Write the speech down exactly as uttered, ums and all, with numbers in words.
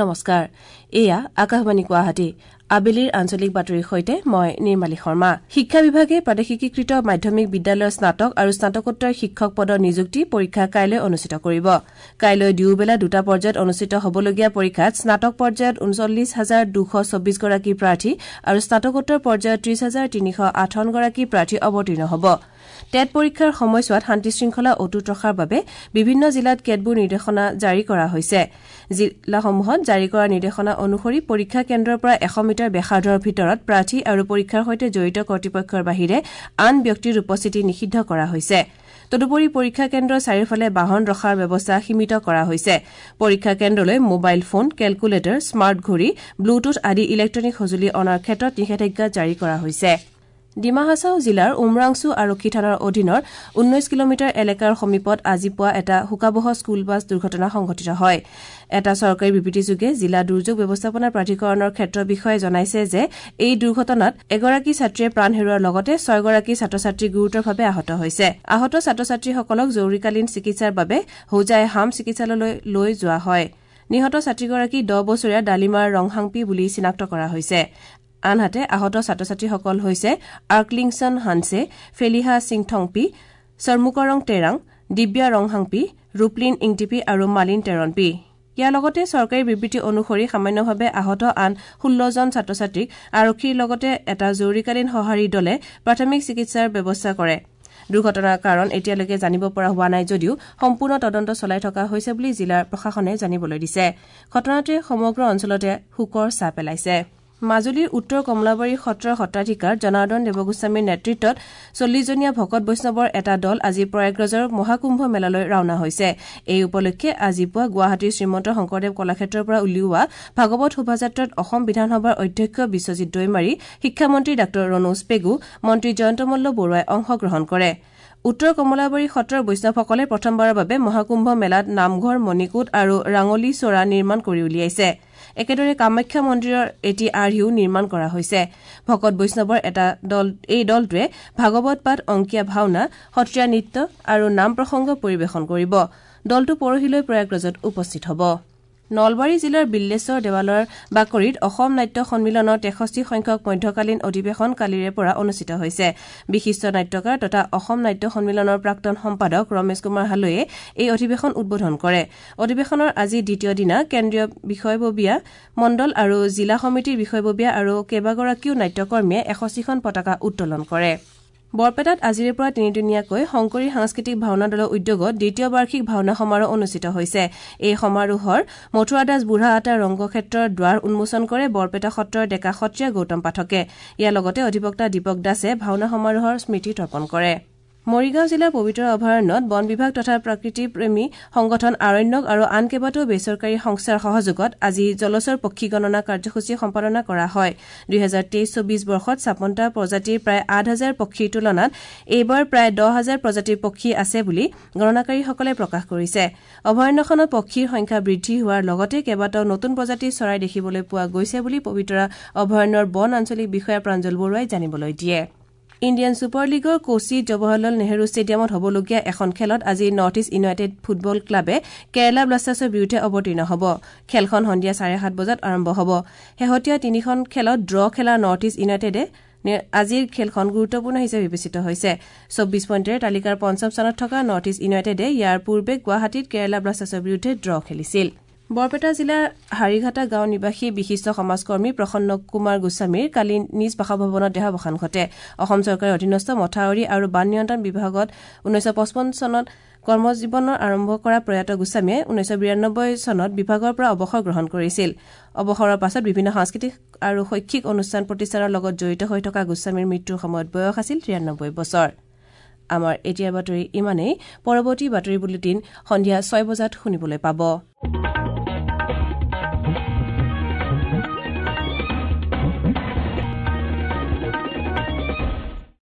নমস্কাৰ, এয়া আকাশবাণী গুৱাহাটী। আবেলিৰ আঞ্চলিক বাতৰিৰ সৈতে মই নিৰ্মালী শৰ্মা। শিক্ষা বিভাগে প্ৰাদেশিকীকৃত মাধ্যমিক বিদ্যালয়ৰ স্নাতক আৰু স্নাতকোত্তৰ শিক্ষক পদৰ নিযুক্তি পৰীক্ষা কাইলৈ অনুষ্ঠিত কৰিব। কাইলৈ দুয়োবেলা দুটা পৰ্যায়ত অনুষ্ঠিত হ'বলগীয়া পৰীক্ষাত স্নাতক পৰ্যায়ত ঊনচল্লিছ হাজাৰ দুশ চৌবিছগৰাকী প্ৰাৰ্থী আৰু স্নাতকোত্তৰ পৰ্যায়ত ত্ৰিশ হাজাৰ তিনিশ আঠাৱনগৰাকী প্ৰাৰ্থী অৱতীৰ্ণ হ'ব। টেট পৰীক্ষাৰ সময়ছোৱাত শান্তি শৃংখলা অটুট ৰখাৰ বাবে বিভিন্ন জিলাত কেতবোৰ নিৰ্দেশনা জাৰি কৰা হৈছে। জিলাসমূহত জাৰি কৰা নিৰ্দেশনা অনুসৰি পৰীক্ষা কেন্দ্ৰৰ পৰা এশ মিটাৰ ব্যাসাৰ্ধৰ ভিতৰত প্ৰাৰ্থী আৰু পৰীক্ষাৰ সৈতে জড়িত কৰ্তৃপক্ষৰ বাহিৰে আন ব্যক্তিৰ উপস্থিতি নিষিদ্ধ কৰা হৈছে। তদুপৰি পৰীক্ষা কেন্দ্ৰৰ চাৰিওফালে বাহন ৰখাৰ ব্যৱস্থা সীমিত কৰা হৈছে। পৰীক্ষা কেন্দ্ৰলৈ মোবাইল ফোন, কেলকুলেটৰ, স্মাৰ্ট ঘড়ী, ব্লুটুথ আদি ইলেক্ট্ৰনিক সঁজুলি অনাৰ ক্ষেত্ৰত নিষেধাজ্ঞা জাৰি কৰা হৈছে। ডিমা হাছাও জিলাৰ উমৰাংছু আৰক্ষী থানাৰ অধীনৰ ঊনৈশ কিলোমিটাৰ এলেকাৰ সমীপত আজি পুৱা এটা শোকাৱহ স্কুল বাছ দুৰ্ঘটনা সংঘটিত হয়। এটা চৰকাৰী বিবৃতিযোগে জিলা দুৰ্যোগ ব্যৱস্থাপনা প্ৰাধিকৰণৰ ক্ষেত্ৰ বিষয়াই জনাইছে যে এই দুৰ্ঘটনাত এগৰাকী ছাত্ৰীয়ে প্ৰাণ হেৰুওৱাৰ লগতে ছয়গৰাকী ছাত্ৰ ছাত্ৰী গুৰুতৰভাৱে আহত হৈছে। আহত ছাত্ৰ ছাত্ৰীসকলক জৰুৰীকালীন চিকিৎসাৰ বাবে হোজাই হাম চিকিৎসালয়লৈ লৈ যোৱা হয়। নিহত ছাত্ৰীগৰাকী দহ বছৰীয়া ডালিমাৰ ৰংহাংপি বুলি চিনাক্ত কৰা হৈছে। আনহাতে আহত ছাত্ৰ ছাত্ৰীসকল হৈছে আৰ্কলিংছন হানছে, ফেলিহা সিংথংপি, চৰ্মুকৰং তেৰাং, দিব্যা ৰংহাংপি, ৰূপলিন ইংটিপি আৰু মালিন টেৰণপি। ইয়াৰ লগতে চৰকাৰী বিবৃতি অনুসৰি সামান্যভাৱে আহত আন ষোল্লজন ছাত্ৰ ছাত্ৰীক আৰক্ষীৰ লগতে এটা জৰুৰীকালীন সঁহাৰি দলে প্ৰাথমিক চিকিৎসাৰ ব্যৱস্থা কৰে। দুৰ্ঘটনাৰ কাৰণ এতিয়ালৈকে জানিব পৰা হোৱা নাই যদিও সম্পূৰ্ণ তদন্ত চলাই থকা হৈছে বুলি জিলাৰ প্ৰশাসনে জানিবলৈ দিছে। ঘটনাটোৱে সমগ্ৰ অঞ্চলতে শোকৰ ছাঁ পেলাইছে। মাজুলীৰ উত্তৰ কমলাবাৰী সত্ৰৰ সত্ৰাধিকাৰ জনাৰ্দন দেৱগোস্বামীৰ নেতৃত্বত চল্লিছজনীয়া ভকত বৈষ্ণৱৰ এটা দল আজি প্ৰয়াগৰাজৰ মহাকুম্ভ মেলালৈ ৰাওনা হৈছে। এই উপলক্ষে আজি পুৱা গুৱাহাটীৰ শ্ৰীমন্ত শংকৰদেৱ কলাক্ষেত্ৰৰ পৰা উলিওৱা ভাগৱত শোভাযাত্ৰাত অসম বিধানসভাৰ অধ্যক্ষ বিশ্বজিৎ দৈমাৰী, শিক্ষামন্ত্ৰী ডাঃ ৰণোজ পেগু, মন্ত্ৰী জয়ন্ত মল্ল বৰুৱাই অংশগ্ৰহণ কৰে। উত্তৰ কমলাবাৰী সত্ৰৰ বৈষ্ণৱসকলে প্ৰথমবাৰৰ বাবে মহাকুম্ভ মেলাত নামঘৰ, মণিকূট আৰু ৰাঙলী চৰা নিৰ্মাণ কৰি উলিয়াইছে। একেদৰে কামাখ্যা মন্দিৰৰ এটি আৰ্হিও নিৰ্মাণ কৰা হৈছে। ভকত বৈষ্ণৱৰ এটা দল এই দলটোৱে ভাগৱত পাঠ, অংকীয়া ভাওনা, সত্ৰীয়া নৃত্য আৰু নাম প্ৰসংগ পৰিৱেশন কৰিব। দলটো পৰহিলৈ প্ৰয়াগৰাজত উপস্থিত হ'ব। নলবাৰী জিলাৰ বিল্লেশ্বৰ দেৱালয়ৰ বাকৰিত অসম নাট্য সন্মিলনৰ তেষষ্ঠি সংখ্যক মধ্যকালীন অধিৱেশন কালিৰে পৰা অনুষ্ঠিত হৈছে। বিশিষ্ট নাট্যকাৰ তথা অসম নাট্য সন্মিলনৰ প্ৰাক্তন সম্পাদক ৰমেশ কুমাৰ হালৈয়ে এই অধিৱেশন উদ্বোধন কৰে। অধিৱেশনৰ আজি দ্বিতীয় দিনা কেন্দ্ৰীয় বিষয়ববীয়া মণ্ডল আৰু জিলা সমিতিৰ বিষয়ববীয়া আৰু কেইবাগৰাকীও নাট্যকৰ্মীয়ে এষষ্ঠিখন পতাকা উত্তোলন কৰে। বৰপেটাত আজিৰে পৰা তিনিদিনীয়াকৈ শংকৰী সাংস্কৃতিক ভাওনা দলৰ উদ্যোগত দ্বিতীয় বাৰ্ষিক ভাওনা সমাৰোহ অনুষ্ঠিত হৈছে। এই সমাৰোহৰ মথুৰা দাস বুঢ়া আতা ৰংগক্ষেত্ৰৰ দ্বাৰ উন্মোচন কৰে বৰপেটা সত্ৰৰ ডেকা সত্ৰীয়া গৌতম পাঠকে। ইয়াৰ লগতে অধিবক্তা দীপক দাসে ভাওনা সমাৰোহৰ স্মৃতি তৰ্পণ কৰে। মৰিগাঁও জিলাৰ পবিতৰা অভয়াৰণ্যত বন বিভাগ তথা প্ৰকৃতিপ্ৰেমী সংগঠন আৰণ্যক আৰু আন কেইবাটাও বেচৰকাৰী সংস্থাৰ সহযোগত আজি জলচৰ পক্ষী গণনা কাৰ্যসূচী সম্পাদনা কৰা হয়। দুহেজাৰ তেইছ চৌবিছ বৰ্ষত ছাপন্নটা প্ৰজাতিৰ প্ৰায় আঠ হাজাৰ পক্ষীৰ তুলনাত এইবাৰ প্ৰায় দহ হাজাৰ প্ৰজাতিৰ পক্ষী আছে বুলি গণনাকাৰীসকলে প্ৰকাশ কৰিছে। অভয়াৰণ্যখনত পক্ষীৰ সংখ্যা বৃদ্ধি হোৱাৰ লগতে কেইবাটাও নতুন প্ৰজাতিৰ চৰাই দেখিবলৈ পোৱা গৈছে বুলি পবিতৰা অভয়াৰণ্যৰ বন আঞ্চলিক বিষয়া প্ৰাঞ্জল বৰুৱাই জানিবলৈ দিয়ে। ইণ্ডিয়ান ছুপাৰ লীগৰ কোচি জৱাহৰলাল নেহৰু ষ্টেডিয়ামত হ'বলগীয়া এখন খেলত আজি নৰ্থ ইষ্ট ইউনাইটেড ফুটবল ক্লাবে কেৰালা ব্লাষ্টাৰ্ছৰ বিৰুদ্ধে অৱতীৰ্ণ হ'ব। খেলখন সন্ধিয়া চাৰে সাত বজাত আৰম্ভ হ'ব। শেহতীয়া তিনিখন খেলত ড্ৰ খেলা নৰ্থ ইষ্ট ইউনাইটেডে আজিৰ খেলখন গুৰুত্বপূৰ্ণ হিচাপে বিবেচিত হৈছে। চৌবিছ পইণ্টেৰে তালিকাৰ পঞ্চম স্থানত থকা নৰ্থ ইষ্ট ইউনাইটেডে ইয়াৰ পূৰ্বে গুৱাহাটীত কেৰালা ব্লাষ্টাৰ্ছৰ বিৰুদ্ধে ড্ৰ খেলিছিল। বৰপেটা জিলাৰ হাৰিঘাটা গাঁও নিবাসী বিশিষ্ট সমাজকৰ্মী প্ৰসন্ন কুমাৰ গোস্বামীৰ কালি নিজ বাসভৱনত দেহাৱসান ঘটে। অসম চৰকাৰৰ অধীনস্থ মথাউৰি আৰু বান নিয়ন্ত্ৰণ বিভাগত ঊনৈছশ পঁচপন্ন চনত কৰ্মজীৱনৰ আৰম্ভ কৰা প্ৰয়াত গোস্বামীয়ে ঊনৈছশ বিৰানব্বৈ চনত বিভাগৰ পৰা অৱসৰ গ্ৰহণ কৰিছিল। অৱসৰৰ পাছত বিভিন্ন সাংস্কৃতিক আৰু শৈক্ষিক অনুষ্ঠান প্ৰতিষ্ঠানৰ লগত জড়িত হৈ থকা গোস্বামীৰ মৃত্যুৰ সময়ত বয়স আছিল তিৰানব্বৈ বছৰ। আমাৰ এতিয়াৰ বাতৰি ইমানেই। পৰৱৰ্তী বাতৰি বুলেটিন সন্ধিয়া ছয় বজাত শুনিবলৈ পাব।